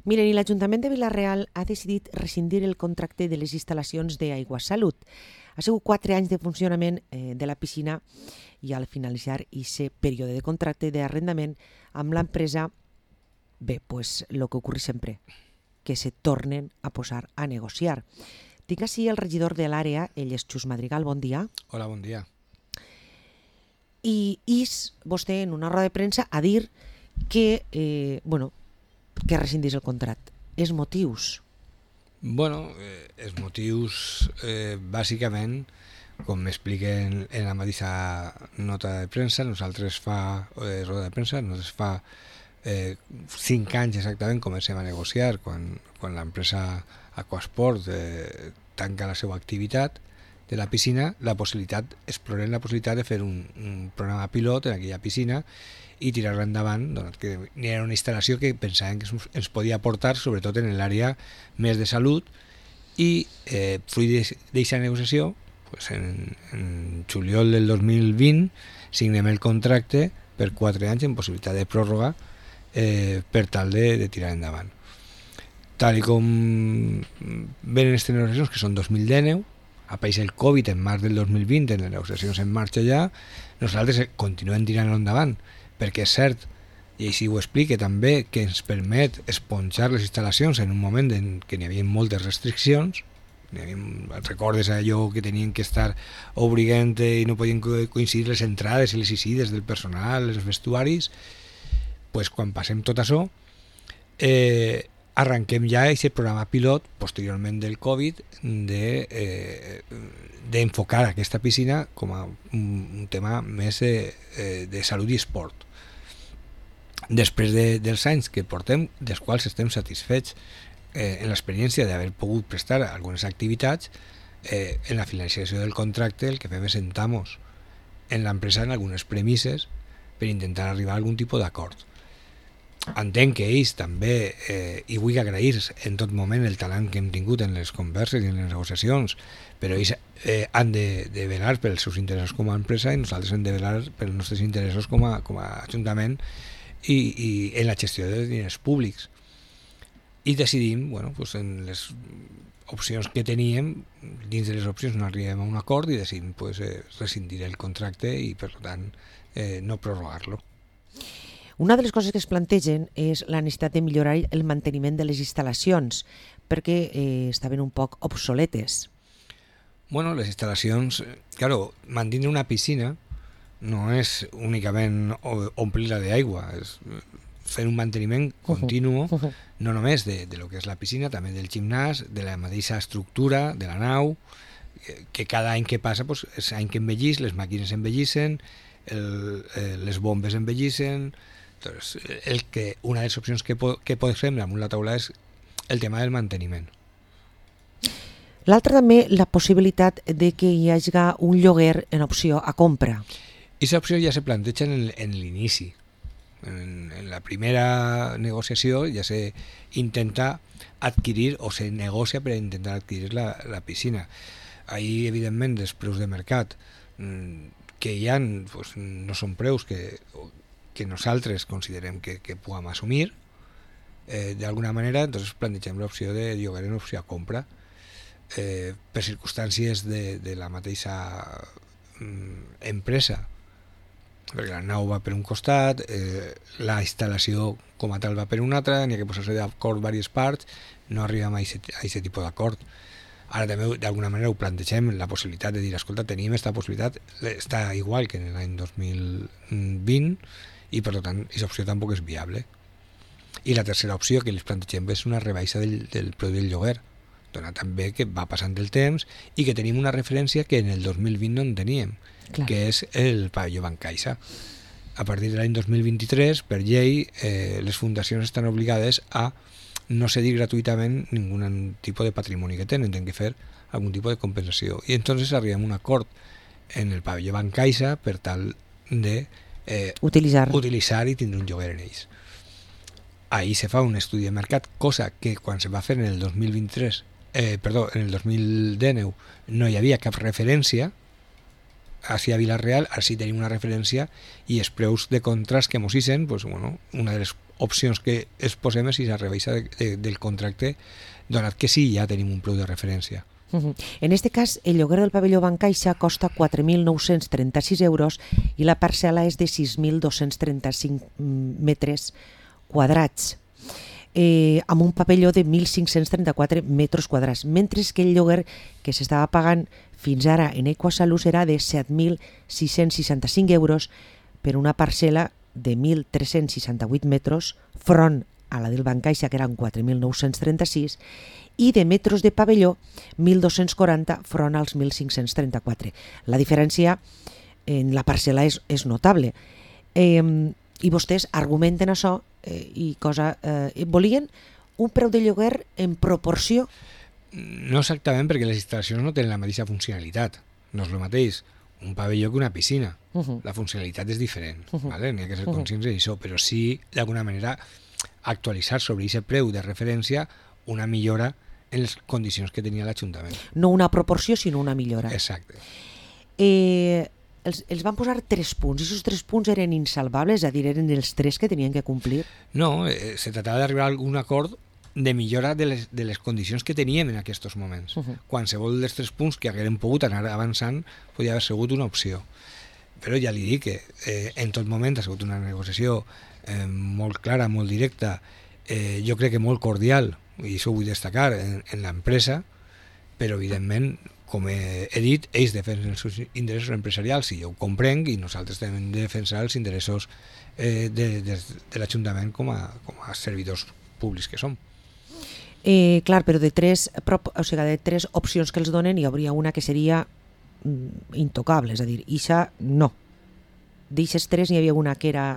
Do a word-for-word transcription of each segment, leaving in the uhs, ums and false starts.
Miren, i l'Ajuntament de Vila-real ha decidit rescindir el contracte de les instal·lacions d'Aigua Salut. Ha sigut quatre anys de funcionament eh, de la piscina i al finalitzar aquest període de contracte d'arrendament amb l'empresa, bé, pues el que ocorre sempre, que se tornen a posar a negociar. Tinc així el regidor de l'àrea, ell és Xus Madrigal, bon dia. Hola, bon dia. I is vostè en una roda de premsa a dir que, eh, bueno, que rescindís el contracte. Els motius? Bueno, eh, els motius, eh, bàsicament, com m'expliquen en la mateixa nota de premsa, nosaltres fa, eh, roda de premsa, nosaltres fa eh, cinc anys exactament comencem a negociar quan, quan l'empresa Aquasport eh, tanca la seva activitat de la piscina, la possibilitat, explorem la possibilitat de fer un, un programa pilot en aquella piscina i tirar-la endavant, doncs, que era una instal·lació que pensàvem que ens podia aportar, sobretot en l'àrea més de salut, i eh, fruit d'aquesta negociació, pues en, en juliol del dos mil vint signem el contracte per quatre anys en possibilitat de pròrroga eh, per tal de, de tirar endavant. Tal i com venen aquestes negociacions, que són dos mil dinou, apareix el Covid en març del dos mil vint, en les negociacions en marxa ja, nosaltres continuem tirant-lo endavant, perquè és cert, i així ho explica també, que ens permet esponjar les instal·lacions en un moment en què n'hi havia moltes restriccions. N'hi havia, recordes allò que tenien que estar obligant i no podien coincidir les entrades i les eixides del personal, els vestuaris. Pues, quan passem tot això, eh, arranquem ja aquest programa pilot, posteriorment del Covid, de, eh, d'enfocar aquesta piscina com a un, un tema més de, de salut i esport. Després de, dels anys que portem, dels quals estem satisfets eh, en l'experiència d'haver pogut prestar algunes activitats, eh, en la finalització del contracte el que fem és sentar-nos en l'empresa en algunes premisses per intentar arribar a algun tipus d'acord. Entenc que ells també, eh, i vull agrair en tot moment el talent que hem tingut en les converses i en les negociacions, però ells eh, han de, de velar pels seus interessos com a empresa i nosaltres hem de velar pels nostres interessos com a, com a ajuntament i, i en la gestió de diners públics. I decidim, bueno, pues en les opcions que teníem, dins de les opcions no arribem a un acord i decidim pues, eh, rescindir el contracte i per tant eh, no prorrogar-lo. Una de les coses que es plantegen és la necessitat de millorar el manteniment de les instal·lacions perquè eh, estaven un poc obsoletes. Bueno, les instal·lacions, claro, mantenir una piscina no és únicament omplir-la d'aigua, és fer un manteniment continu, uh -huh. no només de, de lo que és la piscina, també del gimnàs, de la mateixa estructura, de la nau, que cada any que passa, pues, és any que envellís, les màquines envellissen, el, eh, les bombes envellissen. Entonces, el que, una de les opcions que, po que posem damunt la taula és el tema del manteniment. L'altra també, la possibilitat de que hi hagi un lloguer en opció a compra. Aquesta opció ja se planteja en, en l'inici. En, en la primera negociació ja se intenta adquirir o se negocia per intentar adquirir la, la piscina. Ahí, evidentment, els preus de mercat que hi ha pues, no són preus que, que nosaltres considerem que, que puguem assumir. Eh, d'alguna manera, entonces plantegem l'opció de lloguer en opció a compra. Eh, per circumstàncies de, de la mateixa mm, empresa, perquè la nau va per un costat, eh, la instal·lació com a tal va per un altre, n'hi ha que posar-se d'acord diverses parts, no arribem a aquest tipus d'acord. Ara també d'alguna manera ho plantegem, la possibilitat de dir, escolta, tenim aquesta possibilitat, està igual que en l'any dos mil vint i per tant aquesta opció tampoc és viable. I la tercera opció que els plantegem és una rebaixa del, del preu del lloguer, dona també que va passant el temps i que tenim una referència que en el dos mil vint no en teníem. Clar. Que és el pavelló Bancaixa. A partir de l'any dos mil vint-i-tres, per llei, eh, les fundacions estan obligades a no cedir gratuïtament ningun tipus de patrimoni que tenen, tenen que fer algun tipus de compensació. I entonces arribem a un acord en el pavelló Bancaixa per tal de eh, utilitzar. utilitzar i tindre un lloguer en ells. Ahí se fa un estudi de mercat, cosa que quan se va fer en el dos mil vint-i-tres, eh, perdó, en el dos mil dinou no hi havia cap referència així a Vila-real, així tenim una referència i els preus de contrast que mos hicen, pues, bueno, una de les opcions que es posem és si la rebaixa de, de, del contracte, donat que sí, ja tenim un preu de referència. Uh-huh. En este cas, el lloguer del pavelló Bancaixa costa quatre mil nou-cents trenta-sis euros i la parcel·la és de sis mil dos-cents trenta-cinc metres quadrats, eh, amb un pavelló de mil cinc-cents trenta-quatre metres quadrats, mentre que el lloguer que s'estava pagant fins ara en Aigüasalut era de set mil sis-cents seixanta-cinc euros per una parcel·la de mil tres-cents seixanta-vuit metres, front a la del Bancaixa, que eren quatre mil nou-cents trenta-sis, i de metres de pavelló mil dos-cents quaranta front als mil cinc-cents trenta-quatre. La diferència en la parcel·la és, és notable. Eh, I vostès argumenten això eh, i cosa, eh, volien un preu de lloguer en proporció. No exactament, perquè les instal·lacions no tenen la mateixa funcionalitat. No és el mateix un pavelló que una piscina. Uh-huh. La funcionalitat és diferent. Uh-huh. ¿Vale? N'hi ha que ser conscients d'això, però sí, d'alguna manera, actualitzar sobre aquest preu de referència una millora en les condicions que tenia l'Ajuntament. No una proporció, sinó una millora. Exacte. Eh, els, els van posar tres punts, i aquests tres punts eren insalvables, és a dir, eren els tres que tenien que complir? No, eh, se tratava d'arribar a algun acord de millora de les, de les condicions que teníem en aquests moments. Uh-huh. Qualsevol dels tres punts que haguérem pogut anar avançant podia haver sigut una opció. Però ja li dic que eh, en tot moment ha sigut una negociació eh, molt clara, molt directa, eh, jo crec que molt cordial, i això ho vull destacar, en, en l'empresa, però evidentment, com he, he dit, ells defensen els seus interessos empresarials i jo ho comprenc, i nosaltres també hem de defensar els interessos eh, de, de, de l'Ajuntament com a, com a servidors públics que som. Eh, clar, però de tres, o sigui, de tres opcions que els donen hi hauria una que seria mm, intocable, és a dir, ixa no. D'eixes tres n'hi havia una que era...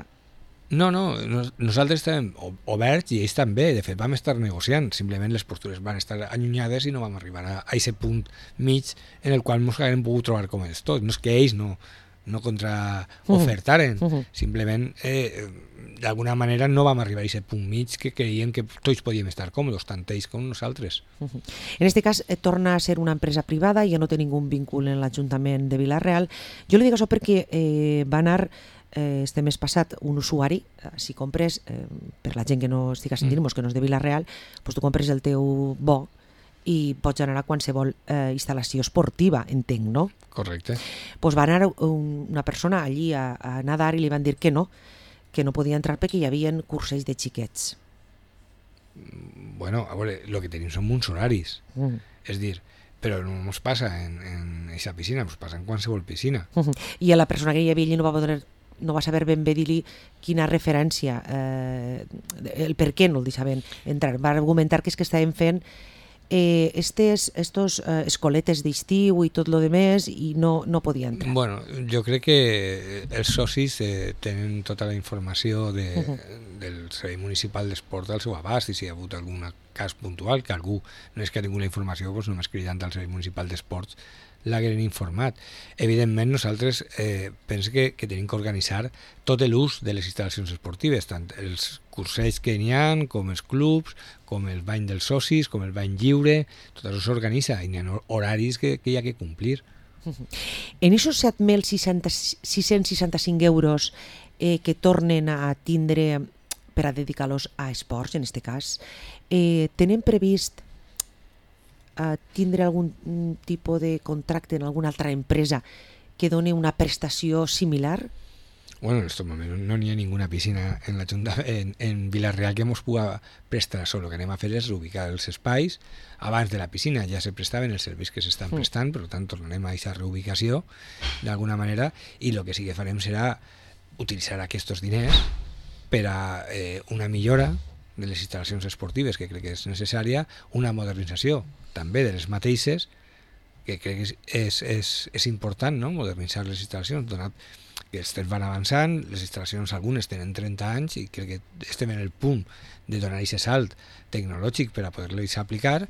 No, no, nosaltres estàvem oberts i ells també, de fet vam estar negociant, simplement les postures van estar allunyades i no vam arribar a aquest punt mig en el qual ens haguem pogut trobar com ells tots. No és que ells no, no contraofertaren, uh-huh. simplement eh, d'alguna manera no vam arribar a aquest punt mig que creiem que tots podíem estar còmodes, tant ells com nosaltres. Uh-huh. En aquest cas eh, torna a ser una empresa privada, ja no té ningú vincul en l'Ajuntament de Vila-real. Jo li dic això perquè eh, va anar eh, este mes passat un usuari, eh, si compres, eh, per la gent que no estiga sentint, mm. que no és de Vila-real, pues tu compres el teu bo i pots anar a qualsevol eh, instal·lació esportiva, entenc, no? Correcte. Pues va anar un, una persona allí a, a nadar i li van dir que no, que no podia entrar perquè hi havia curses de xiquets. Bueno, a veure, el que tenim són uns horaris. Mm. És dir, però no ens passa en aquesta piscina, ens passa en qualsevol piscina. Uh-huh. I a la persona que hi havia allí no va poder, no va saber ben bé dir-li quina referència, eh, el per què no el deixaven entrar. Va argumentar que és que estàvem fent eh, estes, estos eh, escoletes d'estiu i tot lo demés i no, no podia entrar. Bueno, jo crec que els socis eh, tenen tota la informació de, uh-huh. del Servei Municipal d'Esport al seu abast, i si hi ha hagut algun cas puntual que algú no és que ha tingut la informació, doncs només cridant al Servei Municipal d'Esports l'hagueren informat. Evidentment nosaltres eh, pensem que, que tenim que organitzar tot l'ús de les instal·lacions esportives, tant els cursells que n'hi ha, com els clubs, com el bany dels socis, com el bany lliure, tot això s'organitza i n'hi ha horaris que, que hi ha que complir. En aquests set mil sis-cents seixanta-cinc euros eh, que tornen a tindre per a dedicar-los a esports, en aquest cas, eh, tenen previst a tindre algun tipus de contracte en alguna altra empresa que doni una prestació similar? Bueno, en aquest moment no n'hi ha ninguna piscina en, la Junta, en, en Vila-real que ens pugui prestar. Solo que anem a fer és reubicar els espais. Abans de la piscina ja se prestaven els serveis que s'estan prestant, per tant tornarem a aquesta reubicació d'alguna manera, i el que sí que farem serà utilitzar aquests diners per a eh, una millora de les instal·lacions esportives, que crec que és necessària, una modernització també de les mateixes, que crec que és, és, és, és important, no?, modernitzar les instal·lacions, donat que els temps van avançant, les instal·lacions algunes tenen trenta anys i crec que estem en el punt de donar aquest salt tecnològic per a poder-les aplicar,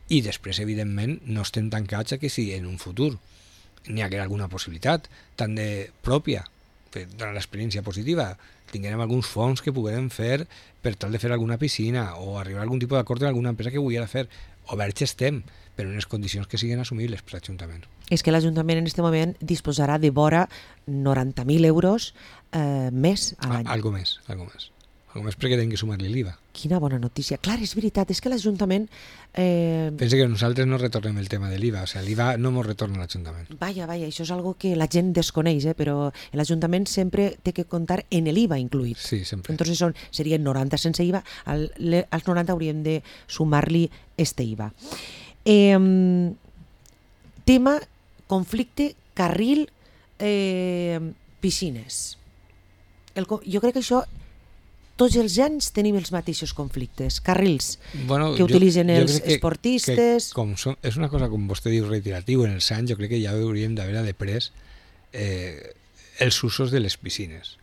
i després, evidentment, no estem tancats a que si en un futur n'hi haguera alguna possibilitat, tant de pròpia, per donar l'experiència positiva, tinguem alguns fons que puguem fer per tal de fer alguna piscina o arribar a algun tipus d'acord amb alguna empresa que vulgui fer. Oberts estem, però en unes condicions que siguin assumibles per l'Ajuntament. És que l'Ajuntament en aquest moment disposarà de vora noranta mil euros eh, més a l'any. Algo més, algo més. Algo més perquè tenen que sumar-li l'I V A. Quina bona notícia. Clar, és veritat, és que l'Ajuntament... Eh... Pensa que nosaltres no retornem el tema de l'I V A, o sigui, l'I V A no ens retorna a l'Ajuntament. Vaja, vaja, això és algo que la gent desconeix, eh? Però l'Ajuntament sempre té que comptar en l'I V A incluït. Sí, sempre. Entonces son, serien noranta sense I V A, al, le, als noranta hauríem de sumar-li este I V A. Eh, tema, conflicte, carril, eh, piscines. El, jo crec que això... Tots els anys tenim els mateixos conflictes, carrils bueno, que utilitzen jo, jo els que, esportistes... Que com som, és una cosa, com vostè diu, reiteratiu en els anys, jo crec que ja hauríem d'haver de pres eh, els usos de les piscines.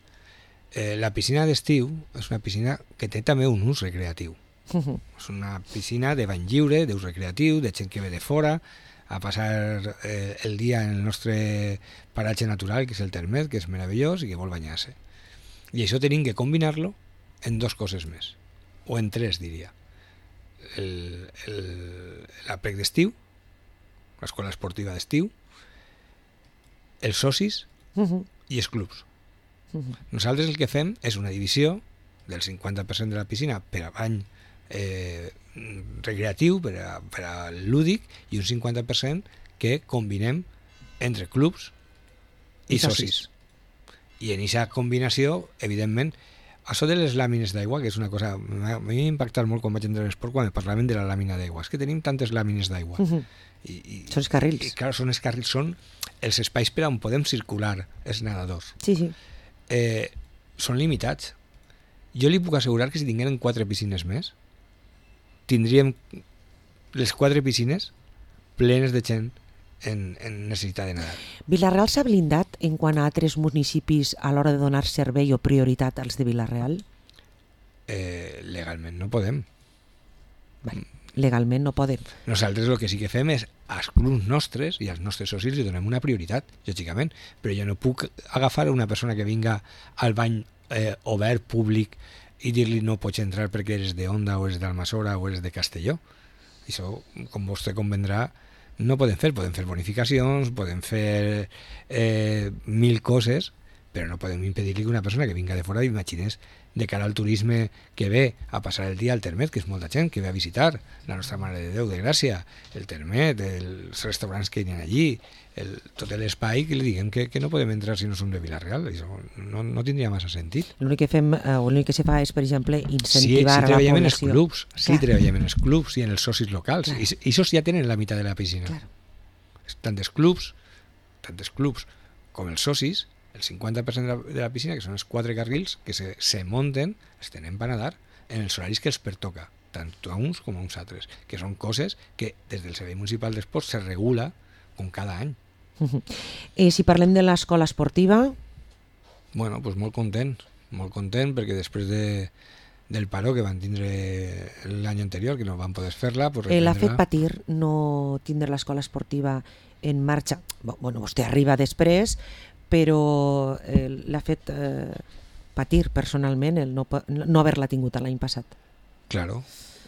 Eh, la piscina d'estiu és una piscina que té també un ús recreatiu. Uh -huh. És una piscina de bany lliure, d'ús recreatiu, de gent que ve de fora a passar eh, el dia en el nostre paratge natural, que és el Termet, que és meravellós i que vol banyar-se. I això tenim que combinar-lo en dos coses més, o en tres, diria. L'aprec d'estiu, l'escola esportiva d'estiu, els socis uh -huh. i els clubs. Uh -huh. Nosaltres el que fem és una divisió del cinquanta per cent de la piscina per a bany eh, recreatiu, per a, per a lúdic, i un cinquanta per cent que combinem entre clubs i, I socis. socis. I en aquesta combinació, evidentment, això de les làmines d'aigua, que és una cosa... A mi m'ha impactat molt quan vaig entrar a l'esport quan me parlaven de la làmina d'aigua. És que tenim tantes làmines d'aigua. Uh -huh. I, i, són els carrils. I, clar, són els carrils, són els espais per on podem circular els nedadors. Sí, sí. Eh, són limitats. Jo li puc assegurar que si tingueren quatre piscines més, tindríem les quatre piscines plenes de gent en, en necessitat de nedar. Vila-real s'ha blindat en quant a altres municipis a l'hora de donar servei o prioritat als de Vila-real? Eh, legalment no podem. Vale. Legalment no podem. Nosaltres el que sí que fem és als clubs nostres i als nostres socis li donem una prioritat, lògicament, però jo no puc agafar a una persona que vinga al bany eh, obert, públic, i dir-li no pots entrar perquè eres de Onda o eres d'Almassora o eres de Castelló. Això, com vostè convendrà, no podem fer, podem fer bonificacions, podem fer eh, mil coses, però no podem impedir-li que una persona que vinga de fora, imagines, de cara al turisme que ve a passar el dia al Termet, que és molta gent que ve a visitar la nostra Mare de Déu de Gràcia, el Termet, els restaurants que hi ha allí, el, tot l'espai, que li diguem que, que no podem entrar si no som de Vila-real. Això no, no tindria massa sentit. L'únic que fem, eh, l'únic que se fa és, per exemple, incentivar sí, sí, a la població. En els clubs, sí, Clar. treballem en els clubs i en els socis locals. Clar. I, I això ja tenen la meitat de la piscina. Clar. Tant els clubs, tant els clubs com els socis, el cinquanta per cent de la, de la piscina, que són els quatre carrils, que se, se munten, els tenen per nedar en els horaris que els pertoca, tant a uns com a uns altres, que són coses que des del Servei Municipal d'Esports se regula com cada any. Uh -huh. eh, si parlem de l'escola esportiva... Bueno, doncs molt content, molt content, perquè després de, del paró que van tindre l'any anterior, que no van poder fer-la... Pues eh, l'ha fet patir no tindre l'escola esportiva en marxa. Bueno, vostè arriba després, però eh, l'ha fet eh, patir personalment el no, no haver-la tingut l'any passat. Claro,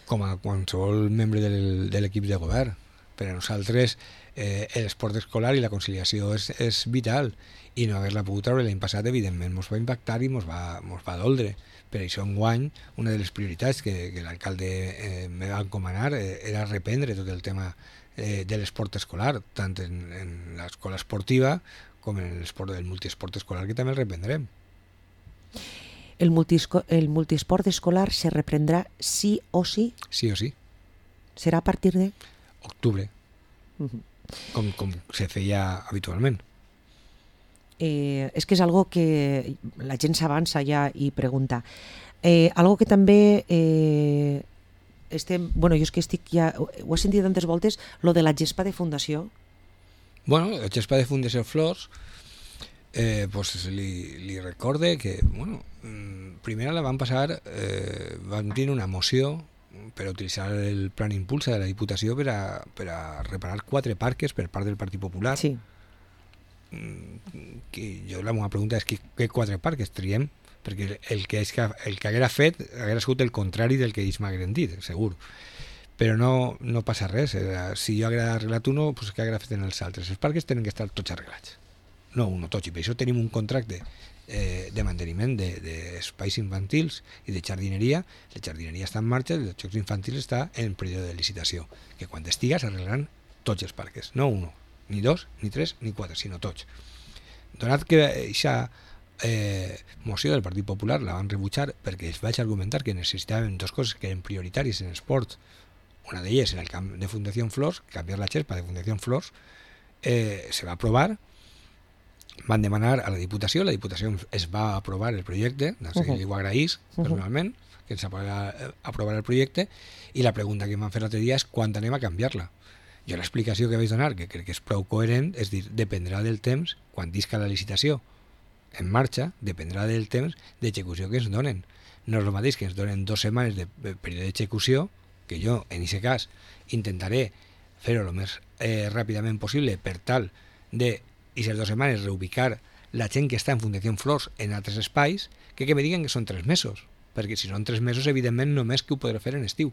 com a qualsevol membre del, de l'equip de govern. Per a nosaltres eh, l'esport escolar i la conciliació és, és vital, i no haver-la pogut treure l'any passat, evidentment, ens va impactar i ens va, mos va doldre. Per això enguany, una de les prioritats que, que l'alcalde eh, me va encomanar eh, era reprendre tot el tema eh, de l'esport escolar, tant en, en l'escola esportiva com en l'esport del multiesport escolar, que també el reprendrem. El, multisco, el multiesport escolar se reprendrà sí o sí? Sí o sí. Serà a partir de? Octubre, uh -huh. com, com se feia habitualment. Eh, és que és algo que la gent s'avança ja i pregunta. Eh, algo que també eh, estem... Bueno, jo és que estic ja... Ho he sentit tantes voltes, lo de la gespa de fundació. Bueno, la gespa de Fundació Flors, eh, pues li, li recorde que, bueno, primer la van passar, eh, van tenir una moció per a utilitzar el plan Impulsa de la Diputació per a, per a reparar quatre parques per part del Partit Popular. Sí. Que jo la meva pregunta és que, què quatre parques triem perquè el que, és que, el que haguera fet haguera sigut el contrari del que ells m'hagueren dit, segur. Però no, no passa res. Si jo haguera arreglat uno, pues que haguera fet en els altres. Els parcs tenen que estar tots arreglats. No uno, tots. I per això tenim un contracte eh, de manteniment d'espais de, infantils i de jardineria. La jardineria està en marxa, els jocs infantils està en període de licitació, que quan estiga s'arreglaran tots els parcs. No uno, ni dos, ni tres, ni quatre, sinó tots. Donat que aquesta eh, moció del Partit Popular la van rebutjar perquè els vaig argumentar que necessitaven dues coses que eren prioritàries en esport. Una d'elles en el camp de Fundació Flors, canviar la xerpa de Fundació Flors, eh, se va aprovar, van demanar a la Diputació, la Diputació es va aprovar el projecte, doncs uh -huh. li ho agraís personalment, que ens va aprovar el projecte, i la pregunta que em van fer l'altre dia és quan anem a canviar-la. Jo l'explicació que vaig donar, que crec que és prou coherent, és dir, dependrà del temps, quan disca la licitació en marxa, dependrà del temps d'execució que ens donen. No és el mateix que ens donen dues setmanes de període d'execució, que jo, en aquest cas, intentaré fer-ho el més eh, ràpidament possible per tal de, aquestes dues setmanes, reubicar la gent que està en Fundació Flors en altres espais, que que me diguen que són tres mesos, perquè si són tres mesos, evidentment, només que ho podré fer en estiu.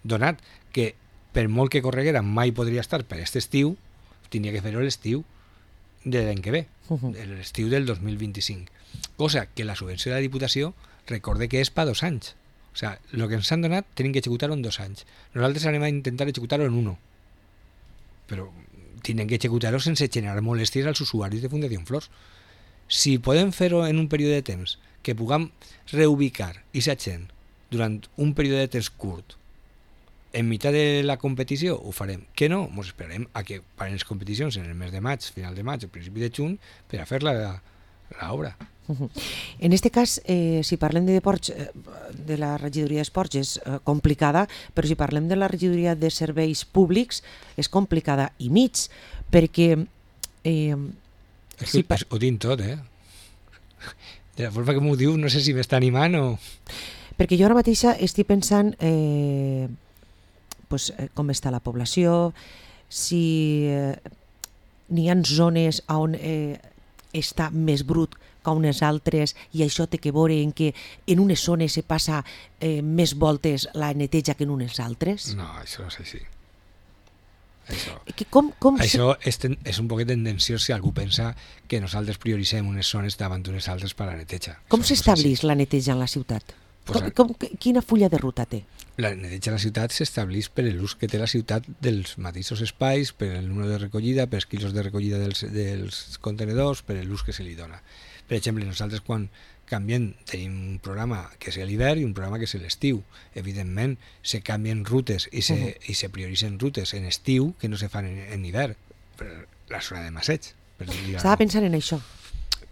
Donat que, per molt que correguera, mai podria estar per aquest estiu, tindria que fer-ho l'estiu de l'any que ve, uh-huh. l'estiu del dos mil vint-i-cinc. Cosa que la subvenció de la Diputació recorde que és per dos anys. O sigui, el que ens han donat tenim que executar-ho en dos anys. Nosaltres anem a intentar executar-ho en uno. Però tenen que executar-ho sense generar molèsties als usuaris de Fundació Flors. Si podem fer-ho en un període de temps, que puguem reubicar aquesta gent durant un període de temps curt, en mitjà de la competició, ho farem. Que no? Ens esperarem a que paren les competicions en el mes de maig, final de maig, o principi de juny, per a fer l'obra. En aquest cas, eh, si parlem de deports, eh, de la regidoria d'esports és eh, complicada, però si parlem de la regidoria de serveis públics és complicada i mig, perquè... Eh, si pa... Ho tinc tot, eh? De la forma que m'ho diu, no sé si m'està animant o... Perquè jo ara mateixa estic pensant eh, pues, eh, com està la població, si eh, n'hi ha zones on eh, està més brut que unes altres i això té que veure en que en unes zones se passa eh, més voltes la neteja que en unes altres? No, això no és així. Això, que com, com això és, ten, és un poquet tendenciós si algú pensa que nosaltres prioritzem unes zones davant d'unes altres per a la neteja. Com s'estableix la neteja en la ciutat? Pues, com, com, quina fulla de ruta té? La neteja a la ciutat s'estableix per l'ús que té la ciutat dels mateixos espais, per el número de recollida, per els quilos de recollida dels, dels contenedors, per l'ús que se li dona. Per exemple, nosaltres quan canviem tenim un programa que és l'hivern i un programa que és l'estiu. Evidentment, se canvien rutes i se, uh-huh. i se prioritzen rutes en estiu que no se fan en, en hivern, per la zona de Masseig. Per Estava pensant en això.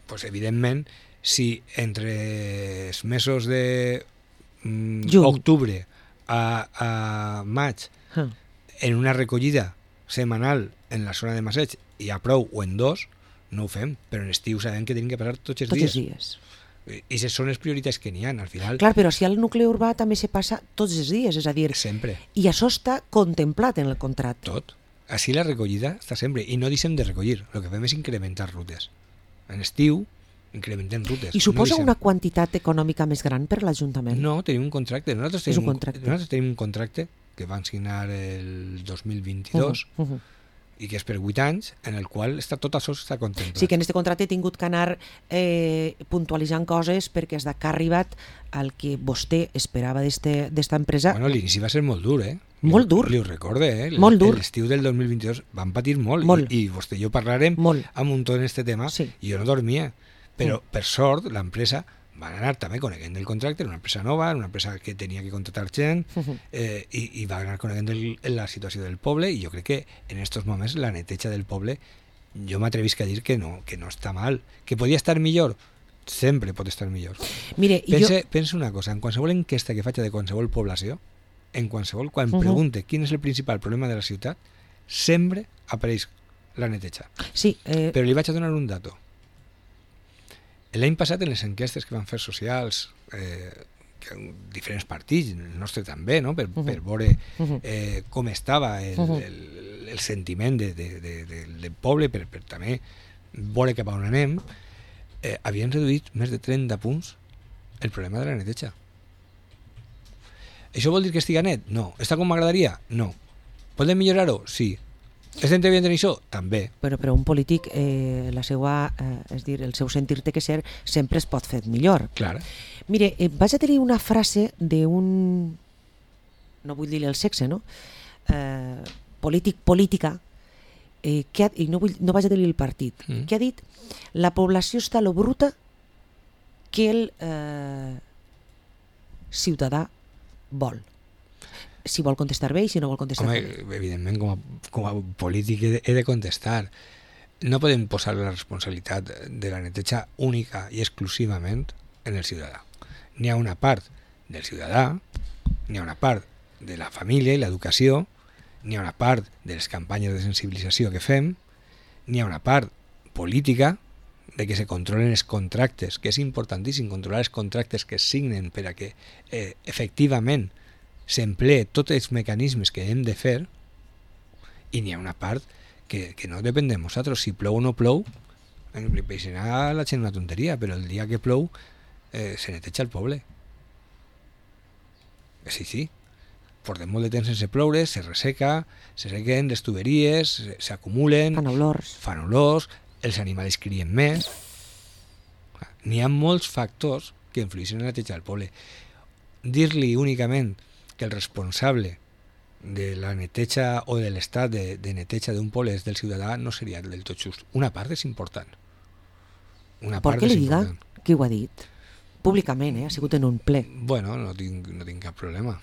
Pues, evidentment, si entre els mesos de mm, octubre a, a maig huh. en una recollida setmanal en la zona de Masseig hi ha prou o en dos, no ho fem, però en estiu sabem que tenim que passar tots els tots dies. Els dies. I aquestes són les prioritats que n'hi ha, al final. Clar, però si al nucli urbà també se passa tots els dies, és a dir... Sempre. I això està contemplat en el contracte. Tot. Així la recollida està sempre, i no deixem de recollir, el que fem és incrementar rutes. En estiu, incrementem rutes. I suposa no una quantitat econòmica més gran per l'Ajuntament? No, tenim un contracte. Nosaltres tenim, és un contracte. Nosaltres tenim un contracte que van signar el dos mil vint-i-dos, uh-huh, uh-huh. i que és per vuit anys, en el qual està, tot això està contemplat. Sí, que en aquest contracte he tingut que anar eh, puntualitzant coses perquè és que ha arribat al que vostè esperava d'esta empresa. Bueno, l'inici va ser molt dur, eh? Molt dur. Li ho recorde, eh? Molt dur. L'estiu del dos mil vint-i-dos van patir molt, molt. I, i vostè i jo parlarem molt. amb un tot en este tema, sí. i jo no dormia. Però, mm. per sort, l'empresa van anar també coneguent el contracte, era una empresa nova, una empresa que tenia que contractar gent, eh, i, i va anar coneguent el, la situació del poble, i jo crec que en aquests moments la neteja del poble, jo m'atrevisc a dir que no, que no està mal. Que podia estar millor? Sempre pot estar millor. Mire, pense, jo... pense una cosa, en qualsevol enquesta que faig de qualsevol població, en qualsevol, quan uh-huh. pregunte quin és el principal problema de la ciutat, sempre apareix la neteja. Sí, eh... Però li vaig a donar un dato. L'any passat, en les enquestes que van fer socials, eh, que diferents partits, el nostre també, no? per, uh-huh. per veure eh, com estava el, uh-huh. el, el sentiment de, de, de, de, del poble, per, per també veure cap a on anem, eh, havien reduït més de trenta punts el problema de la neteja. Això vol dir que estigui net? No. Està com m'agradaria? No. Podem millorar-ho? Sí. Estem treballant en això? També. Però per a un polític eh, la seva, eh, és dir, el seu sentir té que ser sempre es pot fer millor. Clar. Mire, eh, vaig a tenir una frase d'un, no vull dir el sexe, no? Eh, polític, política, eh, que ha, i no, vull, no vaig a dir el partit, mm. que ha dit la població està lo bruta que el eh, ciutadà vol. Si vol contestar bé i si no vol contestar Home, bé. Evidentment, com a, com a polític he de, he de contestar. No podem posar la responsabilitat de la neteja única i exclusivament en el ciutadà. N'hi ha una part del ciutadà, n'hi ha una part de la família i l'educació, n'hi ha una part de les campanyes de sensibilització que fem, n'hi ha una part política de que se controlen els contractes, que és importantíssim controlar els contractes que es signen per a que eh, efectivament s'emplee tots els mecanismes que hem de fer, i n'hi ha una part que, que no depèn de nosaltres. Si plou o no plou, li peixarà a la gent una tonteria, però el dia que plou eh, se neteja el poble. Sí, sí. Portem molt de temps sense ploure, se resseca, se sequen les tuberies, s'acumulen, Fan olors. fan olors, els animals crien més. N'hi ha molts factors que influeixen en la neteja del poble. Dir-li únicament que el responsable de la neteja o de l'estat de, de neteja d'un poble és del ciutadà no seria del tot just. Una part és important. Una Per part què és li diga important. qui ho ha dit? Públicament, eh? Ha sigut en un ple. Bueno, no tinc, no tinc cap problema.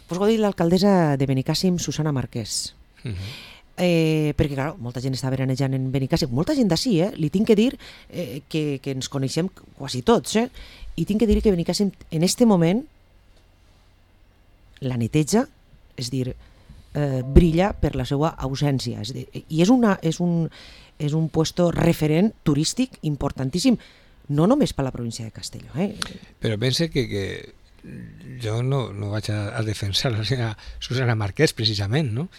Pues ho ha dit l'alcaldessa de Benicàssim, Susana Marquès. Uh -huh. Eh, perquè, clar, molta gent està veranejant en Benicàssim, molta gent d'ací, eh? Li tinc que dir eh, que, que ens coneixem quasi tots, eh? I tinc que dir que Benicàssim, en este moment, la neteja, és dir, eh, brilla per la seva ausència. És dir, i és, una, és, un, és un puesto referent turístic importantíssim, no només per la província de Castelló. Eh? Però pense que, que jo no, no vaig a, a defensar la senyora Susana Marquès, precisament, no?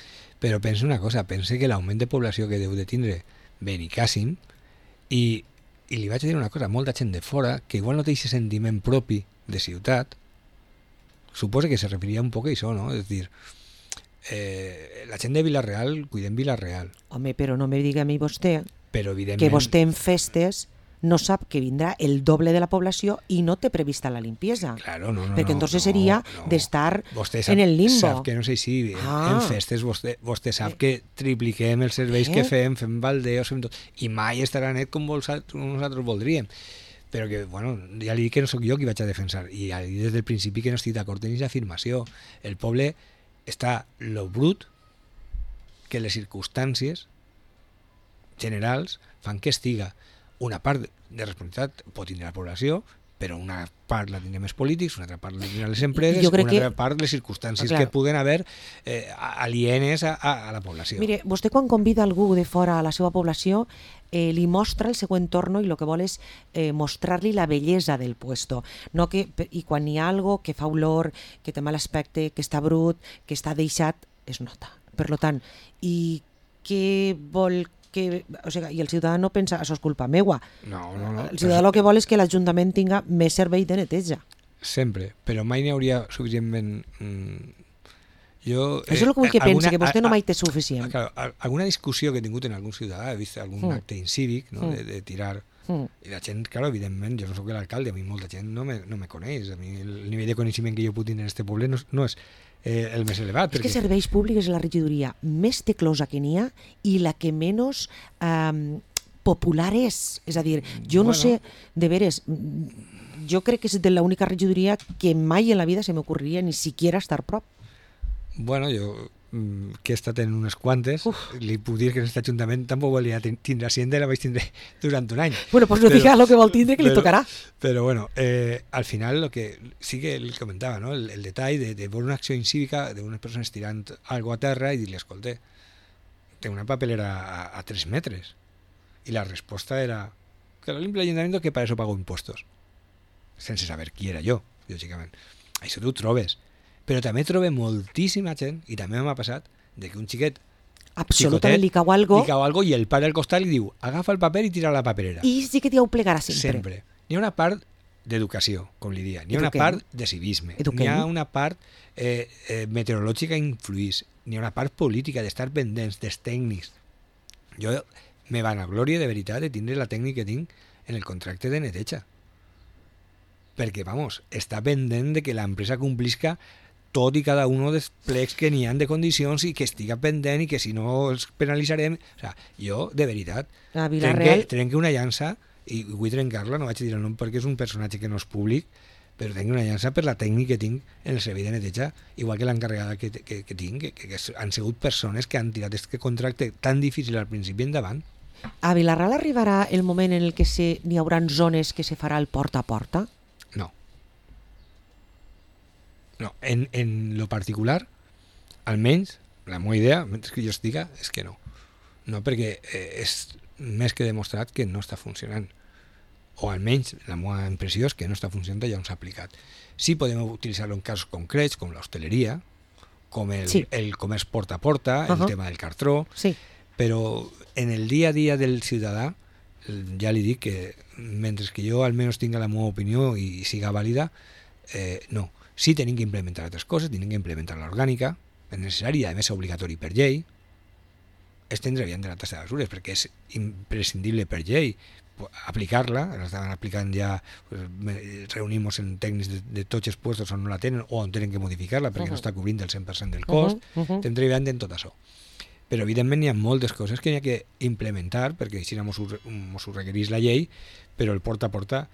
Però pense una cosa, pense que l'augment de població que deu de tindre Benicàssim, i, i li vaig a dir una cosa, molta gent de fora, que igual no té aquest sentiment propi de ciutat, suposo que se referia un poc a això, no? És dir, eh, la gent de Vila-real cuidem Vila-real. Home, però no me diga a mi vostè però evidentment que vostè en festes no sap que vindrà el doble de la població i no té prevista la limpieza. Claro, no, no, perquè no, entonces no, seria no. d'estar Vostè sap, en el limbo. Sap que no sé si Ah. en festes vostè, vostè sap que tripliquem els serveis Eh? que fem, fem baldeos, fem tot, i mai estarà net com nosaltres voldríem. Però que, bueno, ja li dic que no sóc jo qui vaig a defensar, i ja li dic des del principi que no estic d'acord en aquesta afirmació. El poble està lo brut que les circumstàncies generals fan que estiga. Una part de responsabilitat pot tindre la població, però una part la tindrem els polítics, una altra part la tindrem les empreses, una altra que... part les circumstàncies ah, que puguen haver eh, alienes a, a, a la població. Mire, vostè quan convida algú de fora a la seva població eh, li mostra el seu entorn i el que vol és eh, mostrar-li la bellesa del puesto. No que, I quan hi ha algo que fa olor, que té mal aspecte, que està brut, que està deixat, es nota. Per tant, i què vol que, o sigui, i el ciutadà no pensa això és culpa meua. No, no, no. El ciutadà el que vol és que l'Ajuntament tinga més servei de neteja. Sempre, però mai n'hi hauria suficientment... Mm, jo, això és el que vull que alguna, pensi, que vostè a, no mai té suficient. Claro, alguna discussió que he tingut en algun ciutadà, he vist algun mm. acte incívic, no? mm. de, de tirar... Mm. I la gent, claro, evidentment, jo no soc l'alcalde, a mi molta gent no me, no me coneix, a mi el nivell de coneixement que jo puc tenir en este poble no, no és eh, el més elevat. És perquè... que serveis públics és la regidoria més teclosa que n'hi ha i la que menys eh, popular és. És a dir, jo no bueno. sé, de veres, jo crec que és de l'única regidoria que mai en la vida se m'ocorreria ni siquiera estar prop. Bueno, jo que he estat en unes quantes, Uf. li puc dir que en aquest ajuntament tampoc volia tindre Hacienda, la vaig tindre durant un any. Bueno, pues no però, diga lo que vol tindre, que però, li tocarà. Però bueno, eh, al final lo que sí que li comentava, ¿no? el, el detall de, de veure una acció incívica d'unes persones tirant algo a terra i dir-li, escolta, té una papelera a, a tres metres. I la resposta era que lo limpia l'Ajuntament, que para eso pago impuestos. Sense saber qui era jo, lògicament. Això tu ho trobes. Però també trobo moltíssima gent, i també m'ha passat, de que un xiquet absolutament li cau algo. Li cau algo i el pare al costat li diu agafa el paper i tira a la paperera. I sí que t'hi ho plegarà sempre. Sempre. N'hi ha una part d'educació, com li dia. N'hi ha una Eduquem. part de civisme. Eduquem. N'hi ha una part eh, eh, meteorològica influís. N'hi ha una part política, d'estar pendents, dels tècnics. Jo me vanagloria de veritat de tindre la tècnica que tinc en el contracte de neteja. Perquè, vamos, està pendent de que l'empresa complisca tot i cada un dels plecs que n'hi ha de condicions i que estiga pendent i que si no els penalitzarem. O sea, jo, de veritat, A trenque, Vila-real, trenque una llança i vull trencar-la, no vaig dir el nom perquè és un personatge que no és públic, però tenc una llança per la tècnica que tinc en el servei de neteja, igual que l'encarregada que, que, que tinc, que, que han sigut persones que han tirat aquest contracte tan difícil al principi endavant. a Vila-real arribarà el moment en el que se, n'hi haurà zones que se farà el porta a porta? No. No, en, en lo particular, almenys, la meva idea, mentre que jo estiga, és que no. No, perquè eh, és més que demostrat que no està funcionant. O almenys la meva impressió és que no està funcionant i ja no s'ha aplicat. Sí podem utilitzar-lo en casos concrets, com l'hostaleria, com el, Sí. el comerç porta a porta, el Uh-huh. tema del cartró, Sí. però en el dia a dia del ciutadà ja li dic que mentre que jo almenys tinga la meva opinió i siga vàlida, eh, no. Sí tenim que implementar altres coses, tenim que implementar l'orgànica, és necessari i a més és obligatori per llei, estendre bien de la tasa de basures perquè és imprescindible per llei aplicar-la, l'estaven aplicant ja, pues, reunimos en tècnics de, de tots els puestos on no la tenen o on tenen que modificar-la perquè uh-huh. no està cobrint el cent per cent del cost, Uh-huh. Uh-huh. estem treballant en tot això. Però evidentment hi ha moltes coses que hi ha que implementar perquè així ens ho, mos ho requereix la llei, però el porta a porta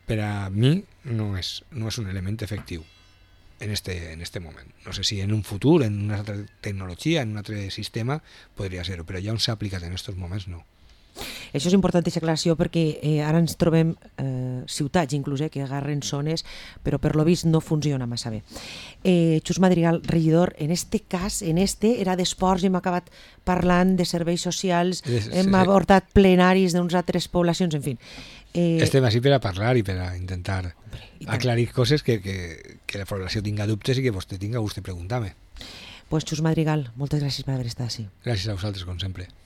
per a mi no és, no és un element efectiu en este, en este moment. No sé si en un futur, en una altra tecnologia, en un altre sistema, podria ser-ho, però ja on s'ha aplicat en aquests moments no. Això és important, aquesta aclaració, perquè eh, ara ens trobem eh, ciutats, inclús, eh, que agarren zones, però per lo vist no funciona massa bé. Eh, Xus Madrigal, regidor, en este cas, en este, era d'esports i hem acabat parlant de serveis socials, Es, hem abordat plenaris d'unes altres poblacions, en fi. Eh, Estem així per a parlar i per a intentar hombre, aclarir coses que, que, que la població tinga dubtes i que vostè tinga gust de preguntar-me. Pues Xus Madrigal, moltes gràcies per haver estat així. Gràcies a vosaltres, com sempre.